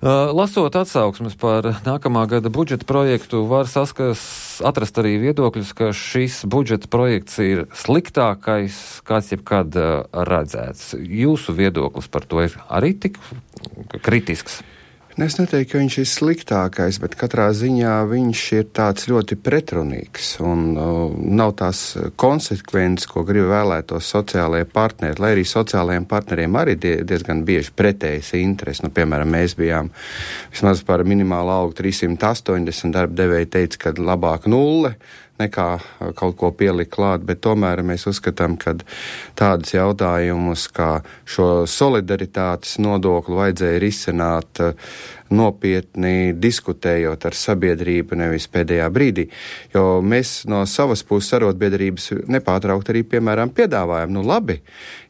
Lasot atsauksmes par nākamā gada budžeta projektu, var atrast arī viedokļus, ka šis budžeta projekts ir sliktākais, kāds jebkad redzēts. Jūsu viedoklis par to ir arī tik kritisks? Es neteiktu, ka viņš ir sliktākais, bet katrā ziņā viņš ir tāds ļoti pretrunīgs un nav tās konsekvences, ko grib vēlētos sociālajie partneri, lai arī sociālajiem partneriem arī diezgan bieži pretējas interesi. Piemēram, mēs bijām vismaz par minimālu algu 380, darba devēji teica, ka labāk 0 nekā kaut ko pielikt klāt, bet tomēr mēs uzskatām, ka tādus jautājumus, kā šo solidaritātes nodokli vajadzēja risināt nopietni diskutējot ar sabiedrību, nevis pēdējā brīdī. Jo mēs no savas puses arotbiedrības nepārtraukt arī, piemēram, piedāvājam, labi,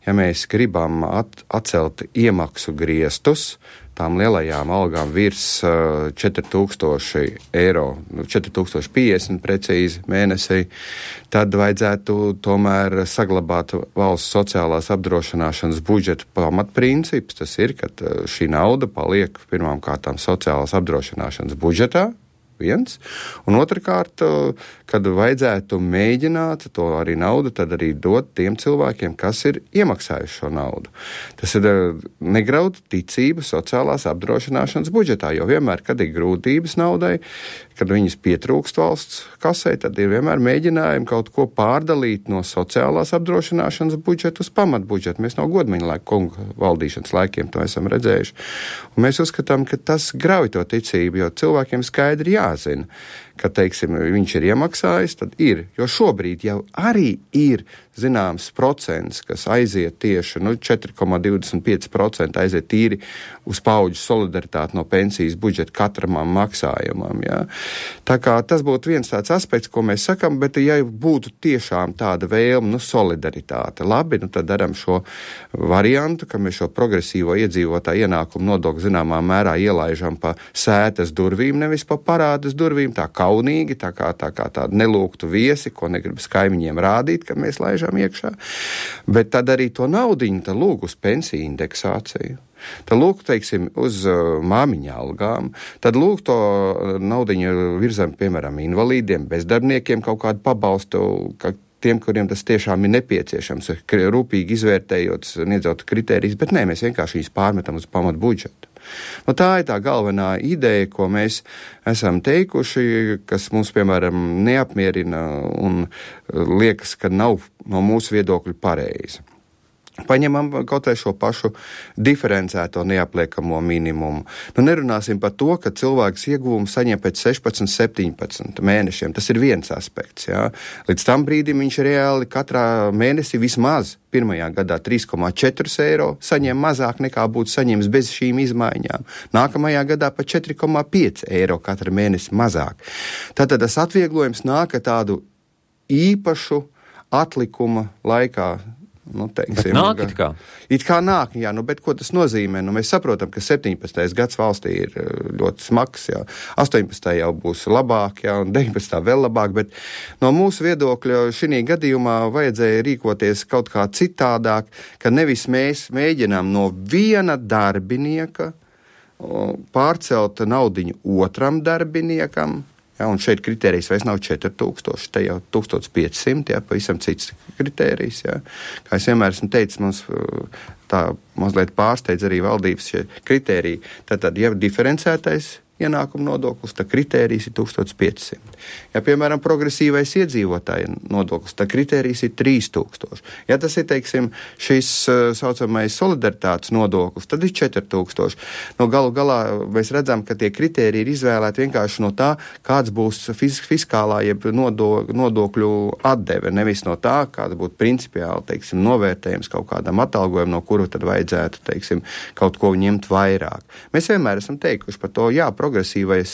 ja mēs gribam atcelt iemaksu griestus, tām lielajām algām virs 4000 eiro, 4050 precīzi mēnesī, tad vajadzētu tomēr saglabāt valsts sociālās apdrošināšanas budžeta pamatprincips. Tas ir, ka šī nauda paliek pirmām kārtām sociālās apdrošināšanas budžetā, viens, un otrkārt, kad vajadzētu mēģināt to arī naudu, tad arī dot tiem cilvēkiem, kas ir iemaksājuši šo naudu. Tas ir negraut ticību sociālās apdrošināšanas budžetā, jo vienmēr, kad ir grūtības naudai, kad viņas pietrūkst valsts kasē, tad ir vienmēr mēģinājumi kaut ko pārdalīt no sociālās apdrošināšanas budžeta uz pamatbudžetu. Mēs no Godmaņa kunga valdīšanas laikiem to esam redzējuši. Un mēs uzskatām, ka tas grauj to ticību, jo cilvēkiem skaidri jāzina, ka, teiksim, viņš ir iemaksājis, tad ir. Jo šobrīd jau arī ir zināms procents, kas aiziet tieši 4,25% aiziet tīri uz paudžu solidaritāti no pensijas budžeta katram maksājumam. Ja? Tā kā tas būtu viens tāds aspekts, ko mēs sakam, bet ja būtu tiešām tāda vēlme, solidaritāte, labi, tad daram šo variantu, ka mēs šo progresīvo iedzīvotāju ienākumu nodokli zināmā mērā ielaižam pa sētas durvīm, nevis pa parādas durvīm, tā kaunīgi, tā kā tāda nelūgtu viesi, ko negribas kaimiņiem rādīt, ka mēs laižam iekšā, bet tad arī to naudiņu tad lūg uz pensiju indeksāciju. Tad lūk, teiksim, uz māmiņa algām, tad lūk to naudiņu virzam, piemēram, invalīdiem, bezdarbniekiem kaut kādu pabalstu, tiem, kuriem tas tiešām ir nepieciešams, rūpīgi izvērtējot, sniedzot kritērijas, bet nē, mēs vienkārši viņus pārmetam uz pamatu budžetu. Tā ir tā galvenā ideja, ko mēs esam teikuši, kas mums, piemēram, neapmierina un liekas, ka nav no mūsu viedokļu pareizi. Paņemam kaut vai šo pašu diferencēto neapliekamo minimumu. Nerunāsim par to, ka cilvēks ieguvumu saņem pēc 16, 17 mēnešiem. Tas ir viens aspekts. Jā. Līdz tam brīdim viņš reāli katrā mēnesī vismaz pirmajā gadā 3,4 eiro saņem mazāk nekā būtu saņems bez šīm izmaiņām. Nākamajā gadā pa 4,5 eiro katru mēnesi mazāk. Tātad tas atvieglojums nāk tādu īpašu atlikuma laikā. Bet nāk it kā? It kā nāk, jā, bet ko tas nozīmē? Mēs saprotam, ka 17. gads valstī ir ļoti smags, jā, 18. jau būs labāk, jā, un 19. vēl labāk, bet no mūsu viedokļa šī gadījumā vajadzēja rīkoties kaut kā citādāk, ka nevis mēs mēģinām no viena darbinieka pārcelt naudiņu otram darbiniekam. Ja, un šeit kritērijs vairs nav 4000, te jau 1500, ja, pavisam cits kritērijs. Ja. Kā es vienmēr esmu teicis, mums tā mazliet pārsteidz arī valdības šie kritēriji. Tātad, ja diferencētais ienākuma nodoklis, tad kritērijs ir 1500. Ja, piemēram, progresīvais iedzīvotāja nodoklis, tad kritērijs ir 3000. Ja tas ir, teiksim, šis saucamais solidaritātes nodoklis, tad ir 4000. Galu galā mēs redzam, ka tie kritēriji ir izvēlēti vienkārši no tā, kāds būs fiskālā jeb nodokļu atdeve, nevis no tā, kāds būtu principiāli, teiksim, novērtējums kaut kādam atalgojumam, no kuru tad vajadzētu, teiksim, kaut ko ņemt vairāk. Mēs vienmēr esam teikuši par to, jā, progresīvais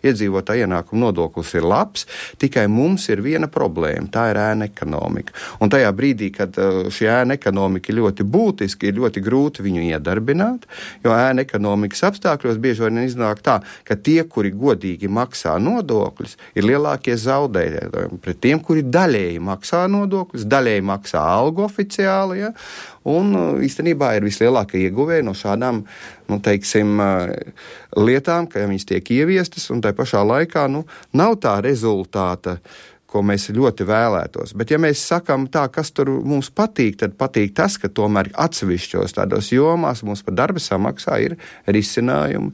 iedzīvotāja ienākuma nodoklis ir labs, tikai mums ir viena problēma, tā ir ēna ekonomika. Un tajā brīdī, kad šī ēna ekonomika ir ļoti būtiski, ir ļoti grūti viņu iedarbināt, jo ēna ekonomikas apstākļos bieži vien iznāk tā, ka tie, kuri godīgi maksā nodokļus, ir lielākie zaudētāji pret tiem, kuri daļēji maksā nodokļus, daļēji maksā algu oficiāli, ja, un īstenībā ir vislielākie ieguvēji no šādām, teiksim, lietām, ka viņas tiek ieviestas, un tai pašā laikā, nav tā rezultāta, ko mēs ļoti vēlētos. Bet ja mēs sakam tā, kas tur mums patīk, tad patīk tas, ka tomēr atsevišķos tādos jomās mums par darba samaksā ir risinājumi.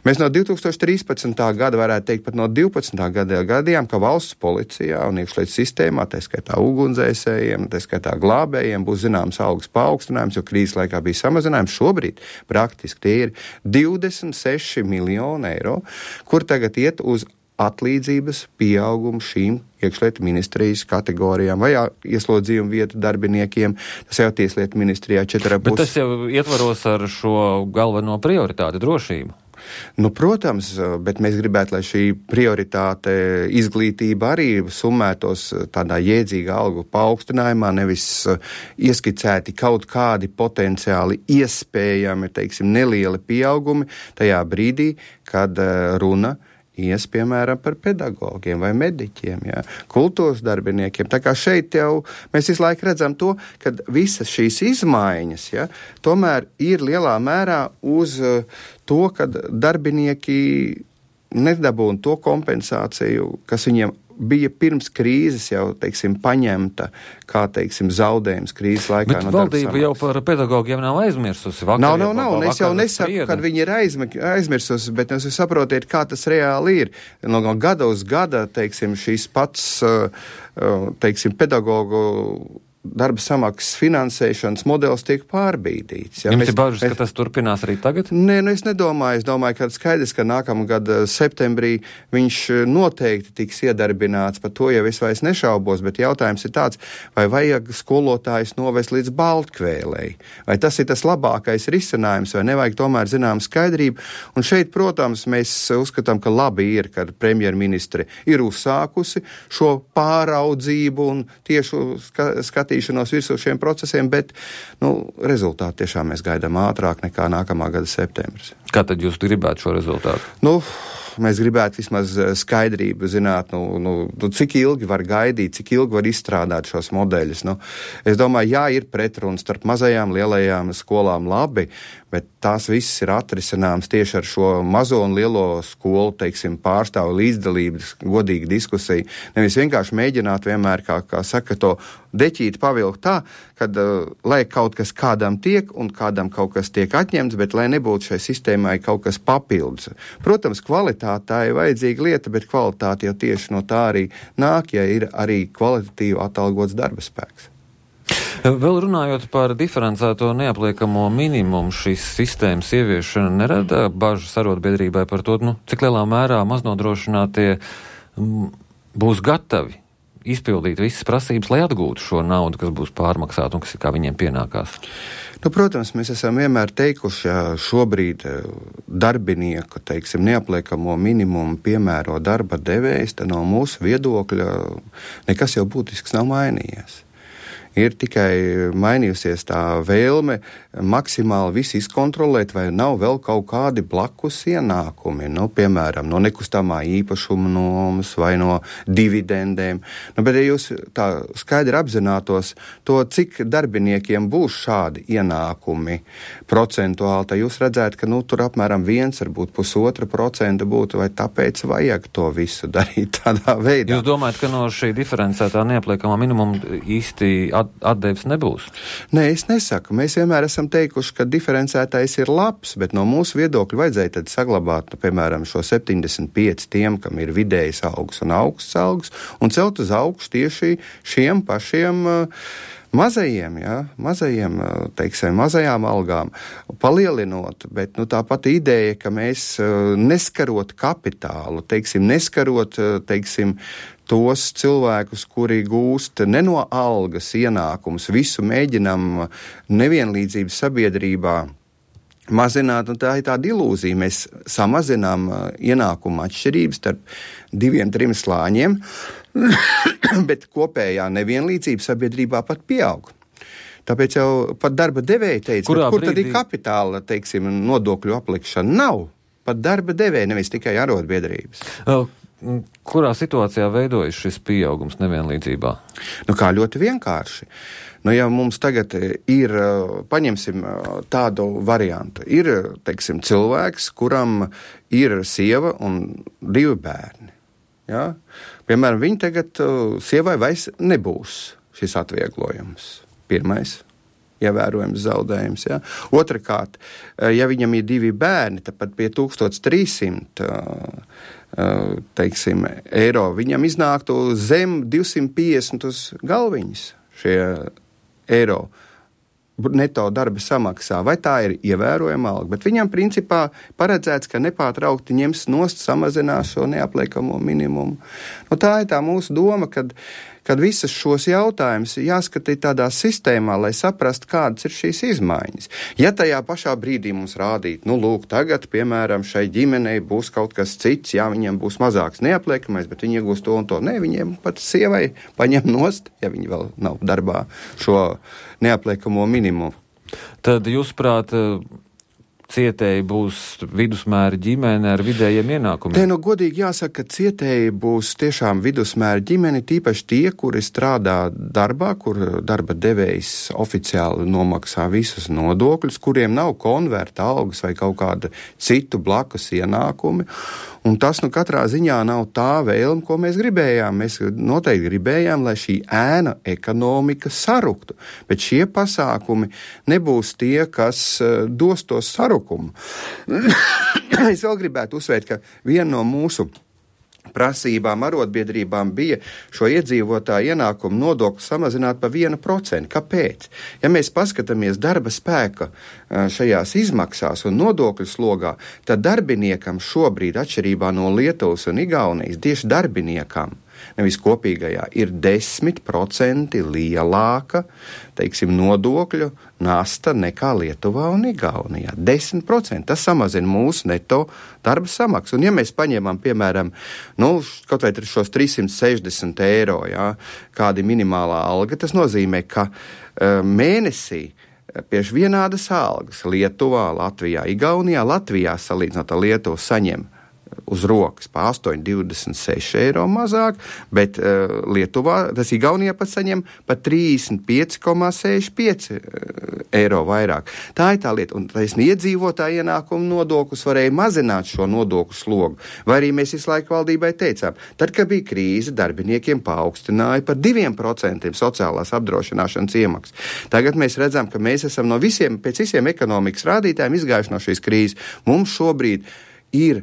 Mēs no 2013. gada varētu teikt, pat no 12. gada gadījām, ka valsts policijā un iekšlietu sistēmā, tā skaitā ugunsdzēsējiem, tā skaitā glābējiem, būs zināms algas paaugstinājums, jo krīzes laikā bija samazinājums. Šobrīd praktiski tie ir 26 miljoni eiro, kur tagad iet uz atlīdzības pieaugumu šīm iekšlietu ministrijas kategorijām vai ieslodzījuma vietu darbiniekiem. Tas jau tieslietu ministrijā 4,5. Bet tas jau ietvaros ar šo galveno prioritāti drošību. Protams, bet mēs gribētu, lai šī prioritāte izglītība arī summētos tādā jēdzīgā algu paaugstinājumā, nevis ieskicēti kaut kādi potenciāli iespējami, nelieli pieaugumi tajā brīdī, kad runa ies, piemēram, par pedagogiem vai mediķiem, kultūras darbiniekiem. Tā kā šeit jau mēs visu laiku redzam to, ka visas šīs izmaiņas, tomēr ir lielā mērā uz to, ka darbinieki nedabūna to kompensāciju, kas viņiem bija pirms krīzes jau, paņemta, kā, zaudējums krīzes laikā. Bet valdība jau par pedagogiem nav aizmirsusi. Nav. Es jau nesaku, kad viņi ir aizmirsusi, bet jūs saprotiet, kā tas reāli ir. No gada uz gada, šīs pats, pedagogu darba samaksas finansēšanas modelis tiek pārbīdīts. Jums ir bažas, ka tas turpinās arī tagad? Nē, es nedomāju. Es domāju, ka skaidrs, ka nākamā gada septembrī viņš noteikti tiks iedarbināts. Par to jau es vairs nešaubos, bet jautājums ir tāds, vai vajag skolotājus novest līdz Baltkvēlei? Vai tas ir tas labākais risinājums, vai nevajag tomēr zinām skaidrību? Un šeit, protams, mēs uzskatām, ka labi ir, ka premjerministre ir uzsākusi šo pāraudzību un tiešu skatīšanos virsū šiem procesiem, bet rezultātu tiešām mēs gaidām ātrāk nekā nākamā gada septembris. Kā tad jūs gribētu šo rezultātu? Mēs gribētu vismaz skaidrību zināt, cik ilgi var gaidīt, cik ilgi var izstrādāt šos modeļus. Es domāju, ir pretruns starp mazajām, lielajām skolām labi, bet tās viss ir atrisināms tieši ar šo mazo un lielo skolu, pārstāvu līdzdalības, godīgu diskusiju. Nevis vienkārši mēģināt vienmēr, kā saka, to deķīti pavilkt tā, kad lai kaut kas kādam tiek un kādam kaut kas tiek atņemts, bet lai nebūtu šai sistēmai kaut kas papildus. Protams, kvalitāte tā ir vajadzīga lieta, bet kvalitāte jau tieši no tā arī nāk, ja ir arī kvalitatīvi atalgots darba spēks. Vēl runājot par diferencēto neapliekamo minimumu, šīs sistēmas ieviešana nerada bažas arotbiedrībai par to, cik lielā mērā maznodrošinātie būs gatavi izpildīt visas prasības, lai atgūtu šo naudu, kas būs pārmaksāta un kas ir kā viņiem pienākās. Protams, mēs esam vienmēr teikuši, ja šobrīd darbinieku, neapliekamo minimumu piemēro darba devējs, tad no mūsu viedokļa nekas jau būtisks nav mainījies. Ir tikai mainījusies tā vēlme maksimāli visu izkontrolēt, vai nav vēl kaut kādi blakus ienākumi, piemēram, no nekustamā īpašuma nomas vai no dividendēm. Bet ja jūs tā skaidri apzinātos to, cik darbiniekiem būs šādi ienākumi procentuāli, tad jūs redzētu, ka tur apmēram 1, varbūt 1,5% būtu, vai tāpēc vajag to visu darīt tādā veidā. Jūs domājat, ka no šī diferencētā neapliekamā minimuma īsti atdevis nebūs? Nē, es nesaku. Mēs vienmēr esam teikuši, ka diferencētais ir labs, bet no mūsu viedokļa vajadzēja tad saglabāt, piemēram, šo 75 tiem, kam ir vidējs algas un augsts algas, un celt uz augšu tieši šiem pašiem mazajiem, mazajām algām, palielinot, bet tāpat ideja, ka mēs neskarot kapitālu, neskarot, tos cilvēkus, kuri gūst ne no algas ienākumus, visu mēģinam nevienlīdzības sabiedrībā mazināt, un tā ir tāda ilūzija. Mēs samazinām ienākumu atšķirības starp 2-3 slāņiem, bet kopējā nevienlīdzība sabiedrībā pat pieaug. Tāpēc jau pat darba devēji teica, kur tad ir kapitāla, nodokļu aplikšana? Nav. Pat darba devēji, nevis tikai arotbiedrības. kurā situācijā veidojas šis pieaugums nevienlīdzībā? Kā ļoti vienkārši. Ja mums tagad ir, paņemsim tādu variantu, ir, teiksim, cilvēks, kuram ir sieva un 2 bērni. Ja? Piemēram, viņi tagad sievai vairs nebūs šis atvieglojums. Pirmais ievērojams zaudējums. Ja? Otrakārt, ja viņam ir 2 bērni, tad pat pie 1300 teiksim, eiro viņam iznāktu zem 250 uz galviņas šie eiro neto darba samaksā, vai tā ir ievērojama alga, bet viņam principā paredzēts, ka nepārtraukti ņems nost, samazinās šo neapliekamo minimumu. Tā ir tā mūsu doma, kad visas šos jautājumus jāskatīt tādā sistēmā, lai saprastu, kādas ir šīs izmaiņas. Ja tajā pašā brīdī mums rādīt, lūk, tagad, piemēram, šai ģimenei būs kaut kas cits, jā, viņiem būs mazāks neapliekamais, bet viņi iegūs to un to. Nē, viņiem pat sievai paņem nost, ja viņi vēl nav darbā, šo neapliekamo minimumu. Tad, jūsuprāt, cietēji būs vidusmēra ģimene ar vidējiem ienākumiem? Godīgi jāsaka, ka cietēji būs tiešām vidusmēra ģimene, tīpaši tie, kuri strādā darbā, kur darba devējs oficiāli nomaksā visus nodokļus, kuriem nav konverta algas vai kaut kāda citu blakus ienākumi. Un tas katrā ziņā nav tā vēlme, ko mēs gribējām. Mēs noteikti gribējām, lai šī ēna ekonomika saruktu, bet šie pasākumi nebūs tie, kas dos to sarukumu. Es vēl gribētu uzsvērt, ka viena no mūsu prasībām arotbiedrībām bija šo iedzīvotāju ienākumu nodokli samazināt pa 1%. Kāpēc? Ja mēs paskatāmies darba spēka šajās izmaksās un nodokļu slogā, tad darbiniekam šobrīd, atšķirībā no Lietuvas un Igaunijas, tieši darbiniekam, nevis kopīgajā, ir 10% lielāka, teiksim, nodokļu nasta nekā Lietuvā un Igaunijā. 10%. Tas samazina mūsu neto darba samaksu. Un ja mēs paņemam, piemēram, kaut vai šos 360 eiro, jā, kāda ir minimālā alga, tas nozīmē, ka mēnesī pieši vienādas algas Lietuvā, Latvijā, Igaunijā, Latvijā salīdzinot ar Lietuvu saņem uz rokas pa 8,26 eiro mazāk, bet Lietuvā, tas Igaunijā pat saņem pa 35,65 eiro vairāk. Tā ir tā lieta, un taisni iedzīvotāju ienākumu nodoklis varēja mazināt šo nodokļu slogu, vai arī mēs visu laiku valdībai teicām, tad, kad bija krīze, darbiniekiem paaugstināja par 2% sociālās apdrošināšanas iemaksas. Tagad mēs redzam, ka mēs esam pēc visiem ekonomikas rādītājiem izgājuši no šīs krīzes. Mums šobrīd ir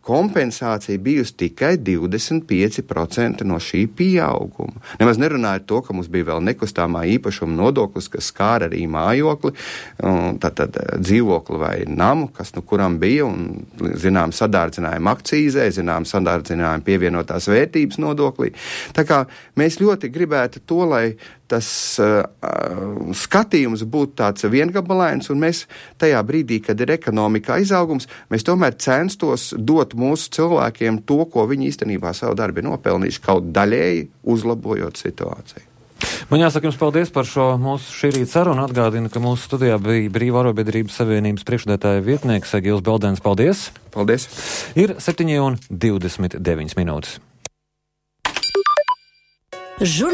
kompensācija bijusi tikai 25% no šī pieauguma. Nemaz nerunājot to, ka mums bija vēl nekustamā īpašuma nodoklis, kas skāra arī mājokli, tad dzīvokli vai namu, kas kuram bija, un zinām sadārdzinājumi akcīzē, zinām sadārdzinājumi pievienotās vērtības nodoklī. Tā kā mēs ļoti gribētu to, lai tas skatījums būtu tāds viengabalains, un mēs tajā brīdī, kad ir ekonomikā izaugums, mēs tomēr censtos dot mūsu cilvēkiem to, ko viņi īstenībā savu darbu ir nopelnījuši, kaut daļēji uzlabojot situāciju. Man jāsaka jums paldies par šo mūsu šī rīta sarunu. Atgādinu, ka mūsu studijā bija Brīvā arotbiedrības savienības priekšsēdētāja vietnieks Egils Beldens. Paldies! Paldies! Ir 7:29 minūtes.